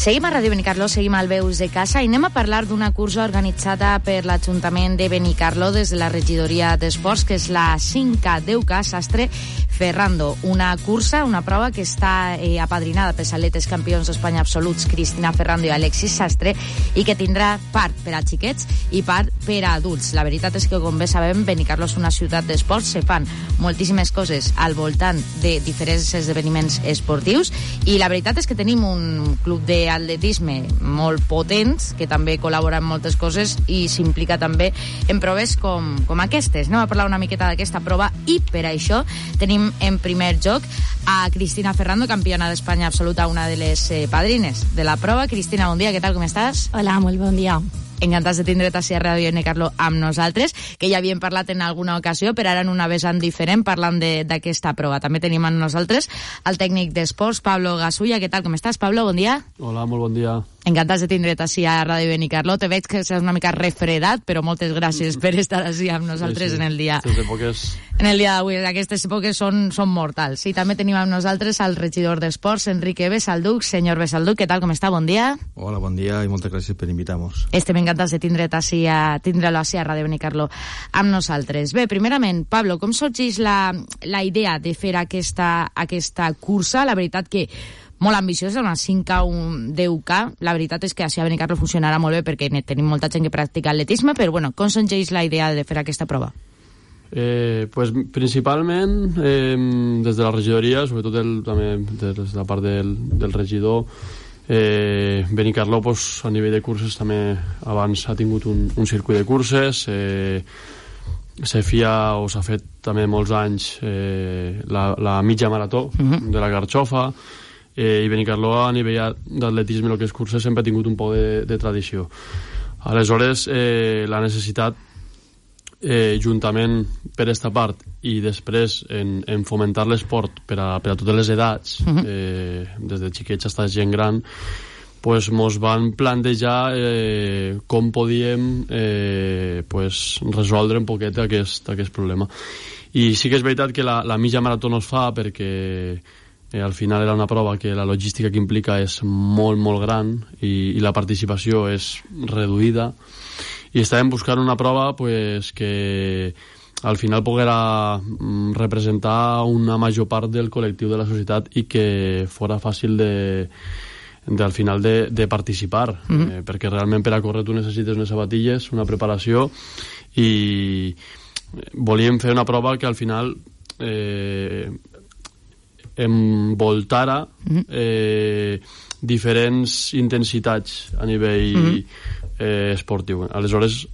Seguim a Ràdio Benicarló, seguim al Veus de Casa i anem a parlar d'una cursa organitzada per l'Ajuntament de Benicarló des de la regidoria d'Esports, que és la 5K 10K Sastre Ferrando. Una cursa, una prova que està apadrinada pels atletes campions d'Espanya absoluts Cristina Ferrando i Alexis Sastre i que tindrà part per a xiquets i part per a adults. La veritat és que, com bé sabem, Benicarló és una ciutat d'esports, se fan moltíssimes coses al voltant de diferents esdeveniments esportius i la veritat és que tenim un club d'atletisme molt potents que també col·labora en moltes coses i s'implica també en proves com aquestes. Anem a parlar una miqueta d'aquesta prova i per això tenim en primer lloc a Cristina Ferrando, campiona d'Espanya absoluta, una de les padrines de la prova. Cristina, bon dia, què tal, com estàs? Hola, molt bon dia. Encantats de tindre't a Ràdio Benicarló amb nosaltres, que ja havíem parlat en alguna ocasió, però ara en una vessant diferent, parlant d'aquesta prova. També tenim amb nosaltres el tècnic d'esports, Pablo Gasulla. Què tal, com estàs, Pablo? Bon dia. Hola, molt bon dia. Encantats de tindre't a Ràdio Benicarló. Te veig que estàs una mica refredat, però moltes gràcies per estar així amb nosaltres en el dia. En el dia d'avui, aquestes èpoques són mortals. I també tenim amb nosaltres el regidor d'Esports, Enrique Besalduc. Senyor Besalduc, què tal, com està? Bon dia. Hola, bon dia i moltes gràcies per invitar-nos. Estem encantats de tindre'l així a Ràdio Benicarló amb nosaltres. Bé, primerament, Pablo, com sorgeix la idea de fer aquesta cursa? La veritat que molt ambiciosa, una 5K, un 10K. La veritat és que així a Benicarló funcionarà molt bé perquè tenim molta gent que practica atletisme, però bueno, com sorgeix la idea de fer aquesta prova? Pues principalment des de la regidoria, sobretot també des de la part del regidor. Benicarló, pues, a nivell de curses també abans ha tingut un circuit de curses, s'ha fet també molts anys la mitja marató de la Garxofa, i Benicarló a nivell d'atletisme, el que és curses, sempre ha tingut un poc de tradició. Aleshores, la necessitat, juntament per aquesta part i després en fomentar l'esport per a totes les edats, des de xiquets fins a gent gran, pues mos van plantejar com podíem resoldre un poquet aquest problema. I sí que és veritat que la mitja marató no es fa perquè al final era una prova que la logística que implica és molt, molt gran i la participació és reduïda, i estàvem buscant una prova pues, que al final poguera representar una major part del col·lectiu de la societat i que fora fàcil al final de participar, perquè realment per a córrer tu necessites unes sabatilles, una preparació, i volíem fer una prova que al final envoltara diferents intensitats a nivell esportiu. Aleshores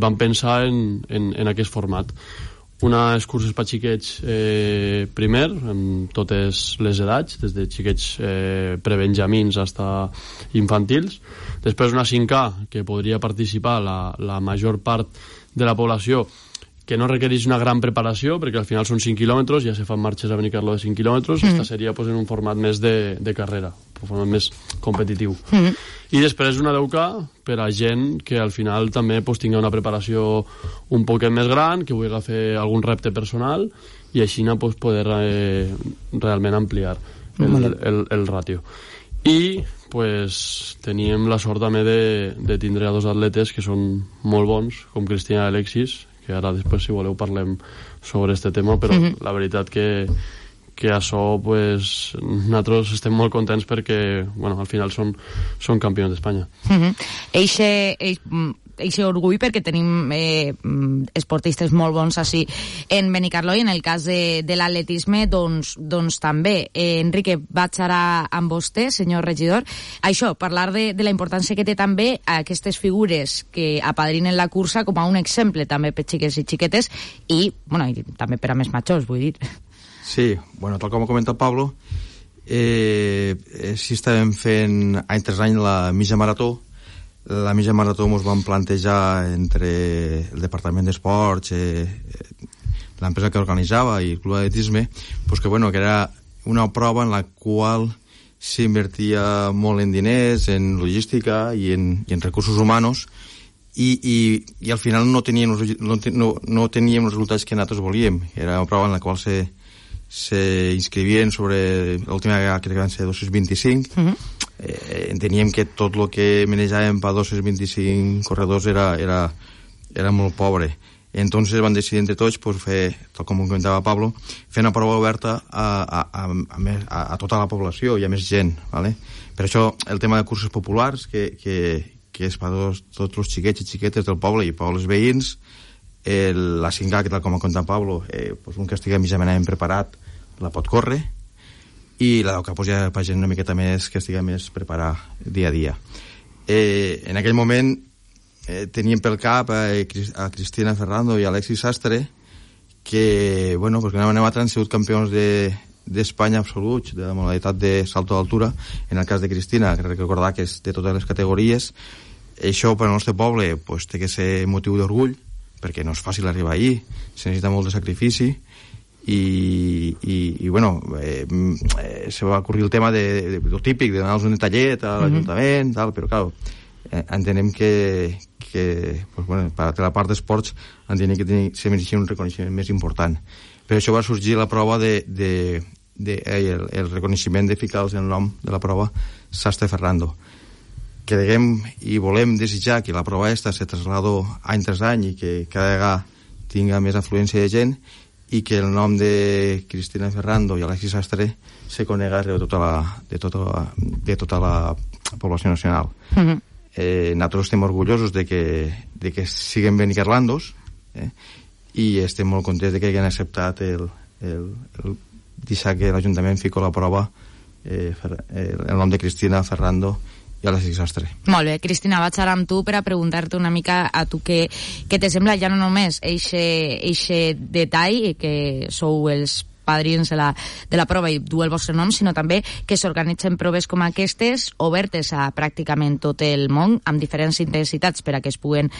vam pensar en aquest format. Unes curses per xiquets primer, amb totes les edats, des de xiquets prebenjamins fins a infantils. Després una 5K, que podria participar la major part de la població, que no requereix una gran preparació, perquè al final són 5 quilòmetres, ja se fan marxes a Benicarló de 5 quilòmetres, esta seria pues, en un format més de carrera, un format més competitiu. I després una 10K per a gent que al final també pues, tingui una preparació un poquet més gran, que vulgui fer algun repte personal, i així pues, poder realment ampliar el ràtio. I pues, teníem la sort també de tindre a dos atletes que són molt bons, com Cristina i Alexis, que ara després, si voleu, parlem sobre aquest tema, però la veritat que això, pues, nosaltres estem molt contents perquè, bueno, al final són campions d'Espanya. Eixe orgull perquè tenim esportistes molt bons així en Benicarló, i en el cas de l'atletisme doncs també. Enrique, vaig ara amb vostè, senyor regidor. Això, parlar de la importància que té també aquestes figures que apadrinen la cursa com a un exemple també per xiques i xiquetes i també per a més majors, vull dir. Sí, bueno, tal com ha comentat Pablo, sí estàvem fent any tras any la mitja marató. La mitja marató ens vam plantejar entre el Departament d'Esports, l'empresa que organitzava i el Club d'Atletisme, pues que era una prova en la qual s'invertia molt en diners, en logística i en recursos humanos, i al final no teníem els resultats que nosaltres volíem. Era una prova en la qual se inscrivien sobre l'última vegada, crec que van ser 225, enteníem que tot el que manejàvem per 225 corredors era molt pobre. Entonces van decidir entre tots pues, fer, tal com comentava Pablo, fer una prova oberta a tota la població i a més gent, ¿vale? Per això el tema de curses populars, que és per tots els xiquets i xiquetes del poble i pobles veïns, la 5K, que tal com ha contat Pablo, pues un que estigui mitjanament preparat la pot córrer, i la 10K pues, ja per gent una miqueta més que estigui més preparat dia a dia. En aquell moment teníem pel cap a Cristina Ferrando i Alexis Sastre, que, bueno, pues que anaven han sigut campions d'Espanya absoluts de la modalitat de salto d'altura. En el cas de Cristina, que recordar que és de totes les categories. Això per al nostre poble pues, té que ser motiu d'orgull, perquè no és fàcil arribar allí, se necessita molt de sacrifici, i bueno, se va ocorrir el tema de lo típic, d'anar-nos un detallet a l'Ajuntament, tal, però clar, entenem que pues, bueno, per la part d'esports entenem que se mereixia un reconeixement més important. Per això va sorgir la prova el reconeixement de ficar el nom de la prova Sastre Ferrando. Creguem i volem desitjar que la prova aquesta se traslado any tras any i que cada vegada tinga més afluència de gent i que el nom de Cristina Ferrando i Alexis Sastre se conega arreu de tota la població nacional. Nosaltres estem orgullosos de que siguen benicarlandos, i estem molt contents de que hagin acceptat el deixar que l'Ajuntament fico la prova el nom de Cristina Ferrando i Alexis Sastre. Molt bé, Cristina, vaig ara amb tu per a preguntar-te una mica a tu què te sembla ja no només eixe detall que sou els padrins de la prova i du el vostre nom, sinó també que s'organitzen proves com aquestes, obertes a pràcticament tot el món, amb diferents intensitats per a que es puguen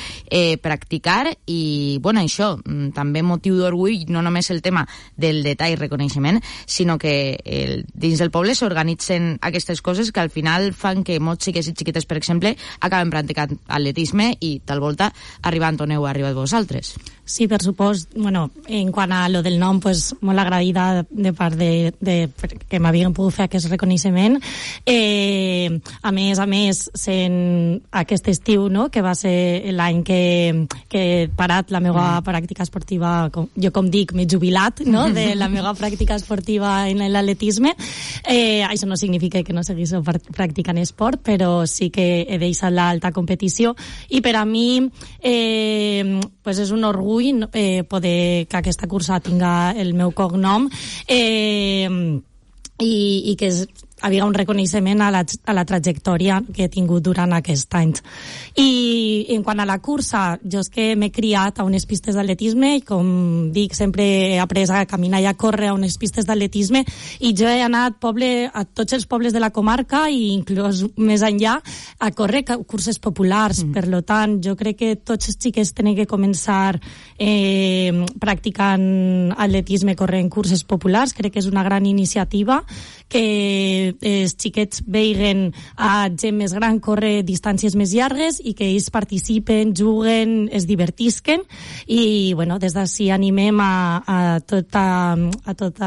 practicar, i bueno, això, també motiu d'orgull, no només el tema del detall i reconeixement, sinó que dins del poble s'organitzen aquestes coses que al final fan que molts xiquets i xiquetes, per exemple, acaben practicant atletisme i tal volta arribant on heu arribat vosaltres. Sí, per supost. Bueno, en quant a lo del nom, pues, molt agradida de part de que m'havien pogut fer aquest reconeixement. A més, sent aquest estiu, no?, que va ser l'any que he parat la meva pràctica esportiva, jo com dic, m'he jubilat, no?, de la meva pràctica esportiva en l'atletisme. Això no significa que no seguís practicant esport, però sí que he deixat l'alta competició, i per a mi pues és un orgull poder que aquesta cursa tinga el meu cognom i que havia un reconeixement a la trajectòria que he tingut durant aquest any. I en quant a la cursa, jo és que m'he criat a unes pistes d'atletisme i, com dic, sempre he après a caminar i a córrer a unes pistes d'atletisme, i jo he anat a tots els pobles de la comarca i inclús més enllà a córrer curses populars. Per tant, jo crec que tots els xiquets tenen que començar practicant atletisme, corrent curses populars. Crec que és una gran iniciativa que els xiquets veiguen a gent més gran córrer distàncies més llargues i que ells participen, juguen, es divertisquen, i bueno, des d'ací animem a tots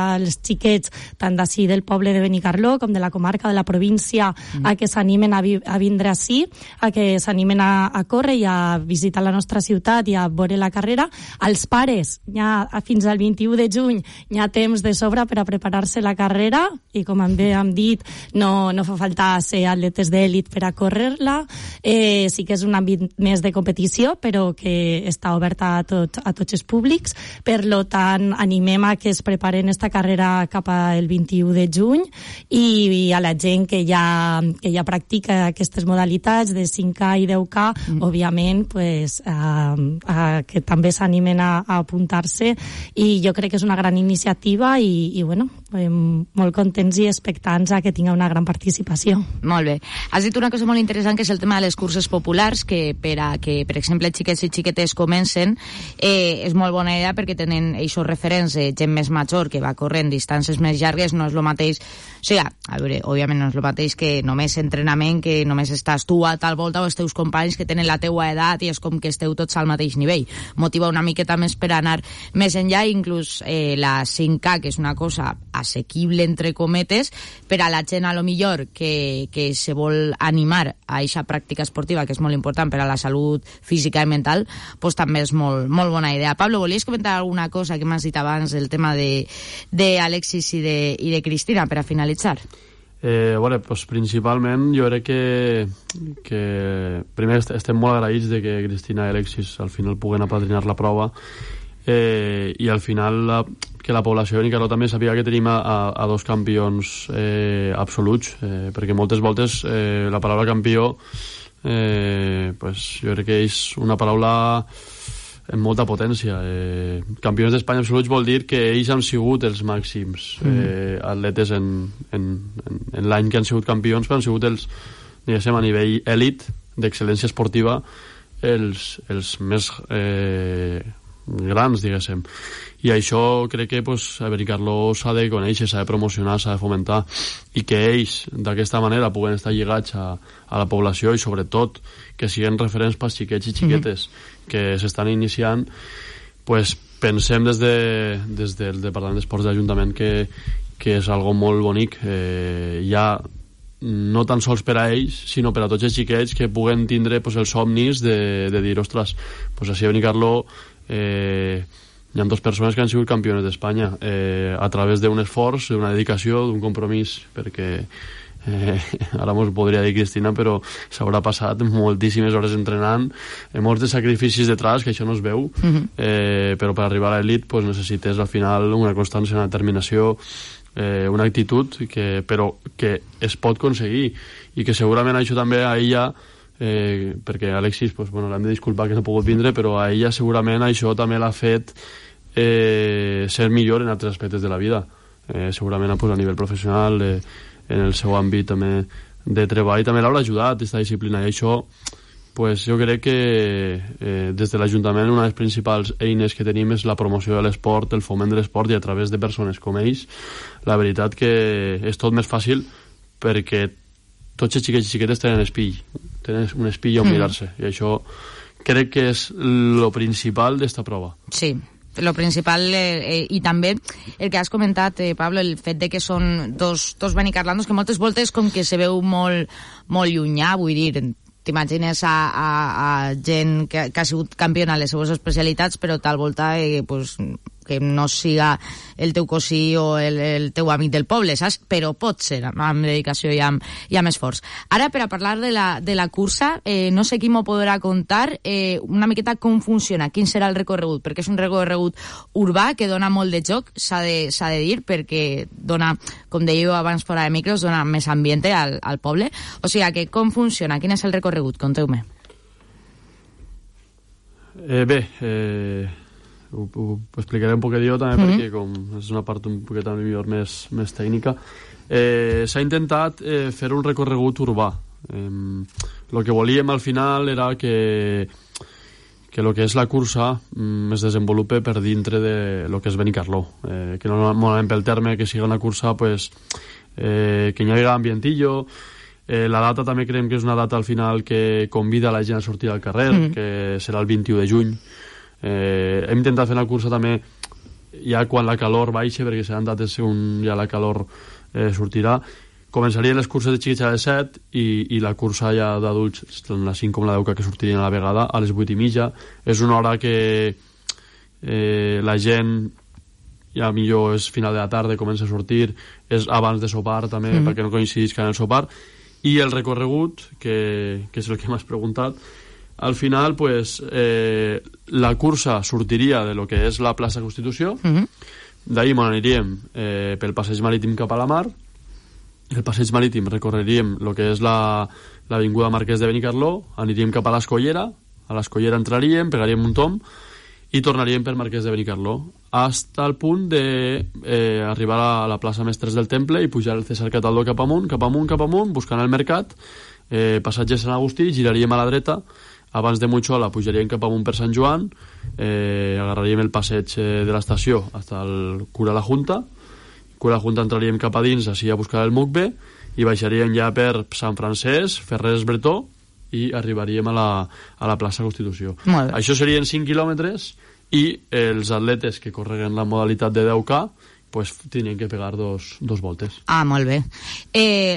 els xiquets tant d'ací del poble de Benicarló com de la comarca, de la província, a que s'animen a vindre ací, a que s'animen a córrer i a visitar la nostra ciutat i a veure la carrera. Els pares, ja fins al 21 de juny hi ha temps de sobre per a preparar-se la carrera, i com bé hem dit, no fa falta ser atletes d'èlit per a córrer-la. Sí que és un àmbit més de competició, però que està oberta a tots els públics. Per tant, animem a que es preparen esta carrera cap al 21 de juny, i a la gent que ja practica aquestes modalitats de 5K i 10K, òbviament, pues, que també s'animen a apuntar-se, i jo crec que és una gran iniciativa i bueno, molt contents i expectants a que tinga una gran participació. Molt bé. Has dit una cosa molt interessant, que és el tema de les curses populars, que per a que, per exemple, xiquets i xiquetes comencen, és molt bona idea, perquè tenen aquests referents de gent més major que va corrent distàncies més llargues. No és el mateix, o sigui, a veure, òbviament no és el mateix que només entrenament, que només estàs tu a tal volta o els teus companys que tenen la teua edat i és com que esteu tots al mateix nivell. Motiva una miqueta més per anar més enllà, inclús la 5K, que és una cosa assequible, entre cometes, atletes, per a la gent a lo millor que se vol animar a aquesta pràctica esportiva, que és molt important per a la salut física i mental, pues també és molt, molt bona idea. Pablo, volies comentar alguna cosa que m'has dit abans del tema d'Alexis i de Cristina per a finalitzar? Bueno, pues principalment jo crec que primer estem molt agraïts de que Cristina i Alexis al final puguen apadrinar la prova, i al final que la població de Benicarló també sabia que tenim a dos campions absoluts, perquè moltes voltes la paraula campió pues jo crec que és una paraula amb molta potència. Campions d'Espanya absoluts vol dir que ells han sigut els màxims atletes en l'any que han sigut campions, però han sigut els, diguéssim, a nivell èlit d'excel·lència esportiva els més grans, diguéssim. I això crec que a Benicarló s'ha de conèixer, s'ha de promocionar, s'ha de fomentar, i que ells d'aquesta manera puguen estar lligats a la població, i sobretot que siguin referents pels xiquets i xiquetes que s'estan iniciant. Pues pensem des del Departament d'Esports de l'Ajuntament que és algo molt bonic, ja no tan sols per a ells, sinó per a tots els xiquets que puguen tindre els somnis de dir, ostres, així a Benicarló hi ha dues persones que han sigut campiones d'Espanya a través d'un esforç, d'una dedicació, d'un compromís, perquè ara mos podria dir Cristina, però s'haurà passat moltíssimes hores entrenant, molts de sacrificis detrás, que això no es veu, però per arribar a l'elit necessites al final una constància, una determinació, una actitud, però que es pot aconseguir, i que segurament això també a ella, perquè Alexis l'hem de disculpar que no ha pogut vindre, però a ella segurament això també l'ha fet ser millor en altres aspectes de la vida, segurament a nivell professional, en el seu àmbit també de treball, també l'haurà ajudat aquesta disciplina, i això jo crec que des de l'Ajuntament una de les principals eines que tenim és la promoció de l'esport, el foment de l'esport, i a través de persones com ells la veritat que és tot més fàcil, perquè tots els xiquets i xiquetes tenen un espill on mirar-se, i això crec que és lo principal d'esta prova. Sí, lo principal, i també el que has comentat, Pablo, el fet de que són dos benicarlandos que moltes voltes com que se veu molt, molt llunyà, vull dir, t'imagines a gent que ha sigut campiona a les seues especialitats, però tal volta que no siga el teu cosí o el teu amic del poble, saps? Però pot ser amb dedicació i amb esforç. Ara, per a parlar de la cursa, no sé qui m'ho podrà contar una miqueta com funciona, quin serà el recorregut, perquè és un recorregut urbà que dona molt de joc, s'ha de dir, perquè dona, com dèieu abans fora de micros, dona més ambient al poble. O sigui, que com funciona, quin és el recorregut? Conteu-me. Ho explicaré un poquet jo també, perquè com és una part un poquet millor més tècnica. S'ha intentat fer un recorregut urbà. El que volíem al final era que el que és la cursa es desenvolupe per dintre de lo que és Benicarló, que normalment pel terme que sigui una cursa que hi hagi ambientillo. La data també creiem que és una data al final que convida la gent a sortir al carrer, que serà el 21 de juny. Hem intentat fer la cursa també ja quan la calor baixa, perquè seran dates on ja la calor sortirà. Començarien les curses de xiquets a les 7 i la cursa ja d'adults, tant la 5 com la 10 que sortirien a la vegada, a les 8:30. És una hora que la gent ja millor és final de la tarda, comença a sortir, és abans de sopar també, perquè no coincidisca en el sopar. I el recorregut, que és el que m'has preguntat, al final la cursa sortiria de lo que és la plaça Constitució, d'ahir aniríem pel passeig marítim cap a la mar, el passeig marítim recorreríem el que és l'avinguda Marquès de Benicarló, aniríem cap a l'Escollera, a l'Escollera entraríem, pegaríem un tomb i tornaríem per Marquès de Benicarló fins al punt d'arribar a la plaça Mestres del Temple i pujar el César Cataldo cap amunt, buscant el mercat, passatge Sant Agustí, giraríem a la dreta, abans de Muixola pujaríem cap amunt per Sant Joan, agarraríem el passeig de l'estació fins al Cura la Junta entraríem cap a dins així a buscar el Mucbe i baixaríem ja per Sant Francesc, Ferrers Bretó i arribaríem a la plaça Constitució. Això serien 5 quilòmetres i els atletes que correguen la modalitat de 10K pues tenien que pegar dos voltes. Ah, molt bé.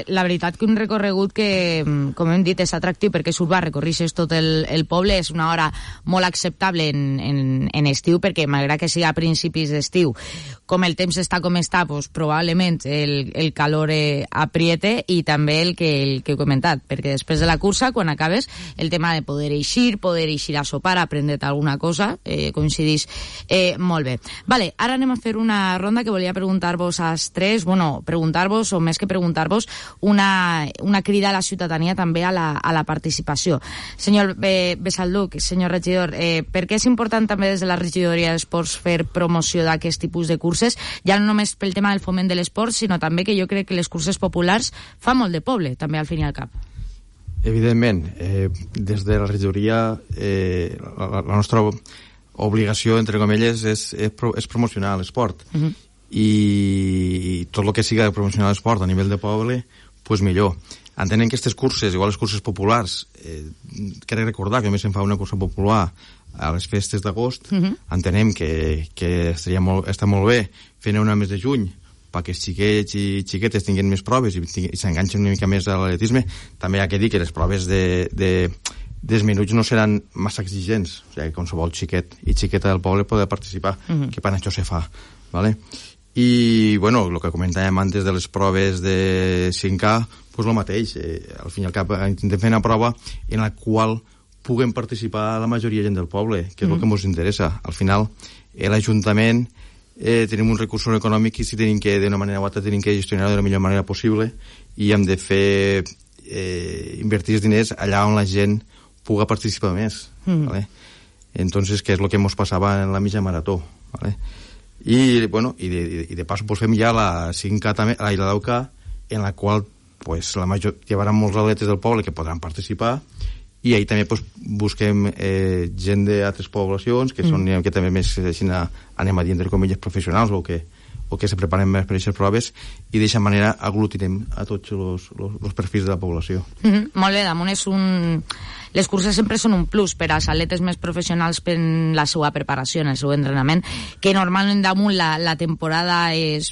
La veritat que un recorregut que, com hem dit, és atractiu perquè és urbà, recorrixes tot el poble, és una hora molt acceptable en estiu, perquè malgrat que sigui a principis d'estiu, com el temps està com està, pues, probablement el calor apriete, i també el que he comentat, perquè després de la cursa, quan acabes, el tema de poder eixir a sopar, aprendre't alguna cosa, coincidís molt bé. Vale, ara anem a fer una ronda que volia preguntar-vos als tres, preguntar-vos, o més que preguntar-vos, una crida a la ciutadania també a la participació. Senyor Besalduc, senyor regidor, per què és important també des de la regidoria d'Esports fer promoció d'aquest tipus de curses, ja no només pel tema del foment de l'esport, sinó també que jo crec que les curses populars fa molt de poble, també al fin i al cap. Evidentment, des de la regidoria la nostra obligació, entre comilles, és promocionar l'esport. I tot el que siga promocionar l'esport a nivell de poble, pues millor. Entenem que aquestes curses, igual les curses populars, crec recordar que només se'n fa una cursa popular a les festes d'agost, entenem que està molt bé fer una mes de juny perquè els xiquets i xiquetes tinguin més proves i s'enganxen una mica més a l'atletisme. També hi ha que dir que les proves dels minuts no seran massa exigents, o sigui, que qualsevol xiquet i xiqueta del poble poder participar, que per això se fa, ¿vale? I, bueno, el que comentàvem antes de les proves de 5K, pues el mateix, al fin i al cap intentem fer una prova en la qual puguem participar la majoria de gent del poble, que és el que ens interessa. Al final, l'Ajuntament tenim uns recursos econòmics i si tenim que, d'una manera o altra, tenim que gestionar de la millor manera possible i hem de fer invertir els diners allà on la gent puga participar més, ¿vale? Entonces, que és el que ens passava en la mitja marató, ¿vale? I, bueno, i de paso pues fem ja la 5K també, la 10K, en la qual pues la major llevaran molts atletes del poble que podran participar, i ahí també pues busquem gent d'altres poblacions que són que també més anem a dir entre comilles professionals o que se preparen més per aquestes proves, i d'aquesta manera aglutinem a tots els perfils de la població. Molt bé, damunt és les curses sempre són un plus per als atletes més professionals per la seva preparació, en el seu entrenament, que normalment damunt la temporada és...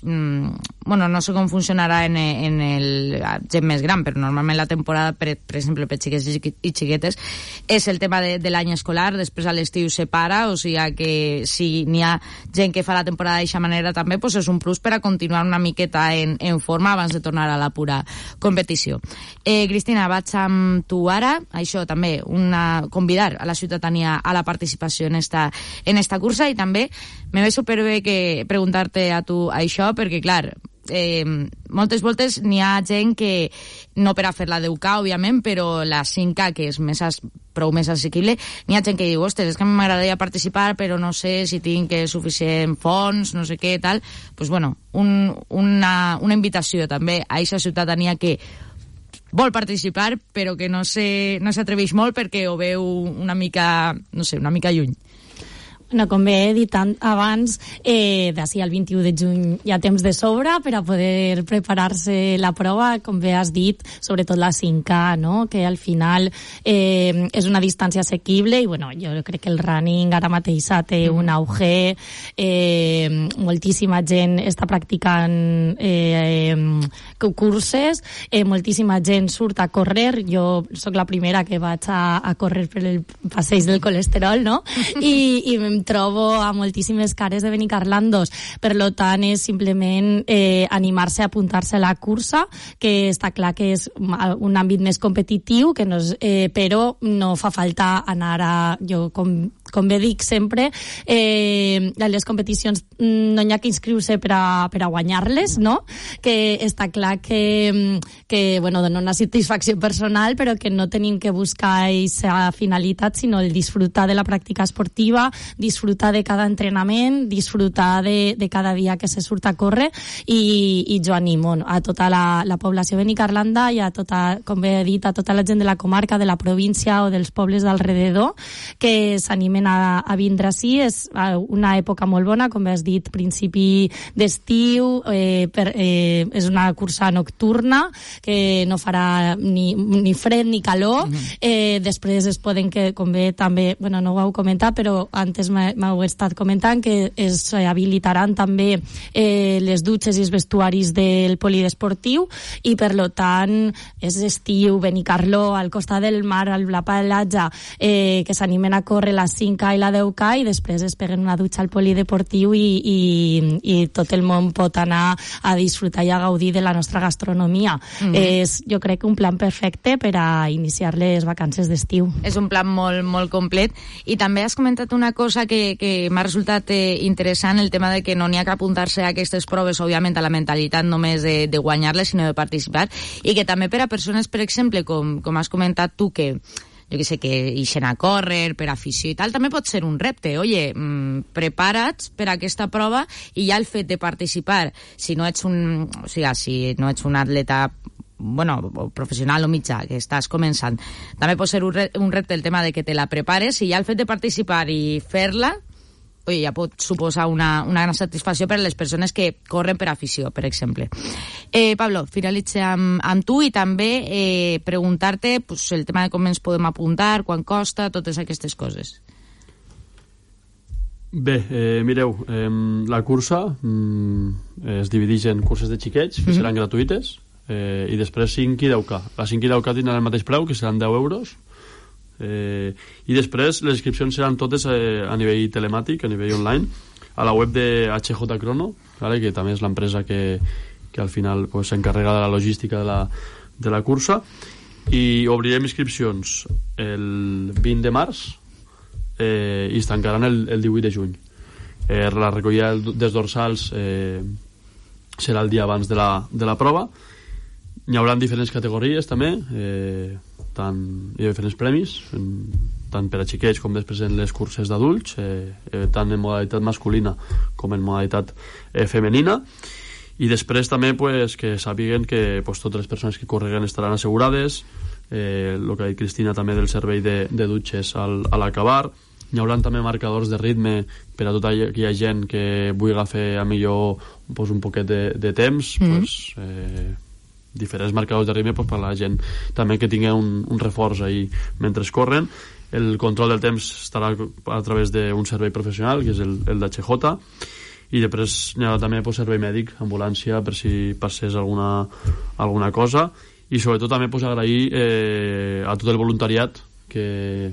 Bueno, no sé com funcionarà en el gent més gran, però normalment la temporada, per exemple, per xiquets i xiquetes, és el tema de l'any escolar, després a l'estiu se para, o sigui que si n'hi ha gent que fa la temporada d'aquesta manera també, doncs és un plus per a continuar una miqueta en forma abans de tornar a la pura competició. Cristina, vaig amb tu ara, això també, convidar a la ciutadania a la participació en esta cursa, i també me ve superbé que preguntar-te a tu això, perquè clar, moltes voltes n'hi ha gent que no per a fer la 10K, òbviament, però la 5K, que és prou més assequible, n'hi ha gent que diu, ostres, és que m'agradaria participar però no sé si tinc suficient fons, no sé què, tal. Pues bueno, una invitació també a aquesta ciutadania que vol participar però que no s'atreveix molt perquè ho veu una mica, no sé, una mica lluny. No, com bé he dit abans, d'ací al 21 de juny hi ha temps de sobre per a poder preparar-se la prova, com bé has dit, sobretot la 5K, no? Que al final és una distància assequible i bueno, jo crec que el running ara mateix té un auge, moltíssima gent està practicant curses, moltíssima gent surt a córrer, jo sóc la primera que vaig a córrer per el passeig del colesterol, no? I em trobo a moltíssimes cares de benicarlandos, per lo tant és simplement animar-se a apuntar-se a la cursa, que està clar que és un àmbit més competitiu, que no és, però no fa falta anar a... Jo, com bé dic sempre, a les competicions no hi ha que inscriure-se per a guanyar-les, no? Que està clar que bueno, dona una satisfacció personal, però que no tenim que buscar aquesta finalitat, sinó el disfrutar de la pràctica esportiva, disfrutar de cada entrenament, disfrutar de cada dia que se surt a córrer, i jo animo a tota la població de Benicarlanda i a tota, com bé he dit, a tota la gent de la comarca, de la província o dels pobles d'alrededor que s'animen a vindre ací. És una època molt bona, com has dit, dit, principi d'estiu, és una cursa nocturna que no farà ni fred ni calor. Després es poden, que com bé també, bueno, no ho heu comentat, però antes m'heu estat comentant que es habilitaran també les dutxes i els vestuaris del polidesportiu, i per lo tant és estiu, Benicarló, al costat del mar, a la platja, que s'animen a córrer la 5K i la 10K, i després es peguen una dutxa al polideportiu i tot el món pot anar a disfrutar i a gaudir de la nostra gastronomia. És, jo crec, un plan perfecte per a iniciar les vacances d'estiu. És un plan molt, molt complet. I també has comentat una cosa que m'ha resultat interessant, el tema de que no n'hi ha que apuntar-se a aquestes proves, òbviament, a la mentalitat només de guanyar-les, sinó de participar, i que també per a persones, per exemple, com has comentat tu, que jo que sé, que ixen a córrer per afició i tal, també pot ser un repte. Oye, prepara't per a aquesta prova, i ja el fet de participar, si no ets un atleta professional o mitjà, que estàs començant, també pot ser un repte el tema de que te la prepares, i ja el fet de participar i fer-la, ja pot suposar una gran satisfacció per a les persones que corren per afició, per exemple. Pablo, finalitze amb tu, i també preguntar-te el tema de com ens podem apuntar, quan costa, totes aquestes coses. Bé, mireu, la cursa es divideix en curses de xiquets, que seran gratuïtes, i després 5 i 10K. La 5 i 10K tindran el mateix preu, que seran 10 euros, i després les inscripcions seran totes a nivell telemàtic, a nivell online, a la web de HJ Crono, ¿vale? Que també és l'empresa que al final s'encarrega de la logística de la cursa, i obrirem inscripcions el 20 de març i es tancaran el 18 de juny. La recollida dels dorsals serà el dia abans de la prova. Hi haurà diferents categories també, hi ha diferents premis, tant per a xiquets com després en les curses d'adults, tant en modalitat masculina com en modalitat femenina. I després també que sàpiguen que totes les persones que correguen estaran assegurades, el que ha dit Cristina també del servei de dutxes a l'acabar. Hi haurà també marcadors de ritme per a tota aquella gent que vulgui fer a millor un poquet de temps, diferents marcadors de ritme per a la gent també que tingui un reforç ahí mentre corren. El control del temps estarà a través d'un servei professional, que és el d'HJ, i després hi ha també servei mèdic, ambulància, per si passés alguna cosa, i sobretot també agrair a tot el voluntariat que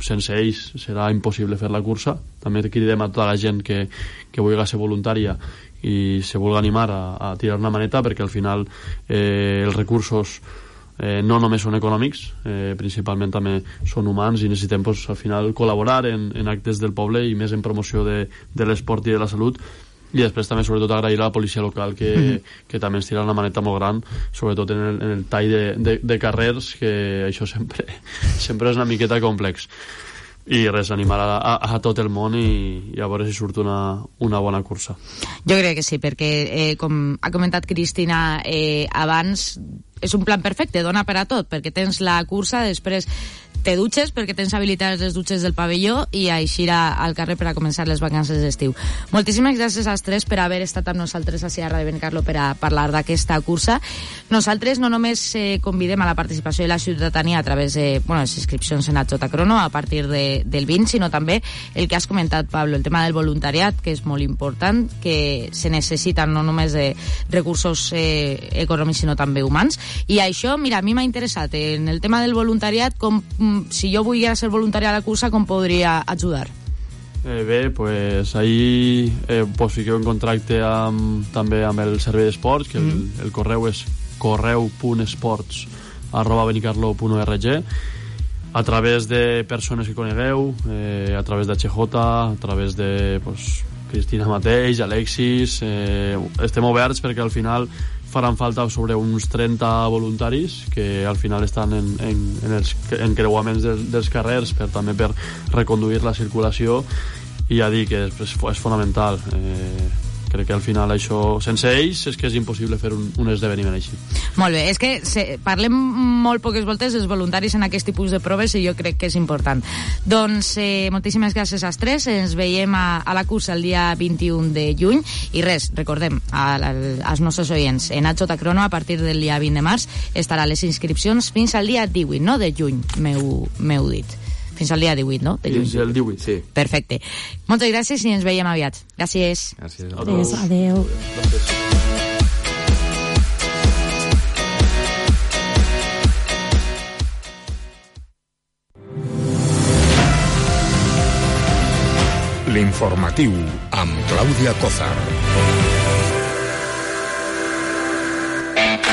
sense ells serà impossible fer la cursa. També cridem a tota la gent que vulgui ser voluntària i se vulgui animar a tirar una maneta, perquè al final els recursos no només són econòmics, principalment també són humans, i necessitem al final col·laborar en actes del poble i més en promoció de l'esport i de la salut. I després també sobretot agrair a la policia local que també ens tira una maneta molt gran, sobretot en el tall de carrers, que això sempre és una miqueta complex. I res, animar a tot el món i a veure si surt una bona cursa. Jo crec que sí, perquè com ha comentat Cristina abans, és un plan perfecte, dona per a tot, perquè tens la cursa, després te dutxes perquè tens habilitades les dutxes del pavelló i així al carrer per a començar les vacances d'estiu. Moltíssimes gràcies als tres per haver estat amb nosaltres a Ràdio Benicarló per a parlar d'aquesta cursa. Nosaltres no només convidem a la participació de la ciutadania a través de les inscripcions en HJ Crono a partir del 20, sinó també el que has comentat, Pablo, el tema del voluntariat, que és molt important, que se necessiten no només de recursos econòmics sinó també humans. I això, mira, a mi m'ha interessat en el tema del voluntariat, si jo volgués ser voluntari a la cursa, com podria ajudar? Bé, pues ahí fiqueu en contacte també amb el servei d'esports, que el correu és correu.esports@benicarlo.org, a través de persones que conegueu, a través d'HJ, a través de Cristina mateix, Alexis, estem oberts perquè al final faran falta sobre uns 30 voluntaris que al final estan en els encreuaments dels carrers també per reconduir la circulació, i ja dic que és fonamental crec que al final això, sense ells, és que és impossible fer un esdeveniment així. Molt bé, és que parlem molt poques voltes dels voluntaris en aquest tipus de proves i jo crec que és important. Doncs moltíssimes gràcies als tres, ens veiem a la cursa el dia 21 de juny i res, recordem als nostres oients, en HJ Crono a partir del dia 20 de març estarà les inscripcions fins al dia 18, no? De juny, m'heu dit. Fins al dia 18, no? De juny. Fins al 18, sí. Perfecte. Moltes gràcies i ens veiem aviat. Gràcies. Gràcies. Adéu. Gràcies. L'informatiu amb Clàudia Cózar.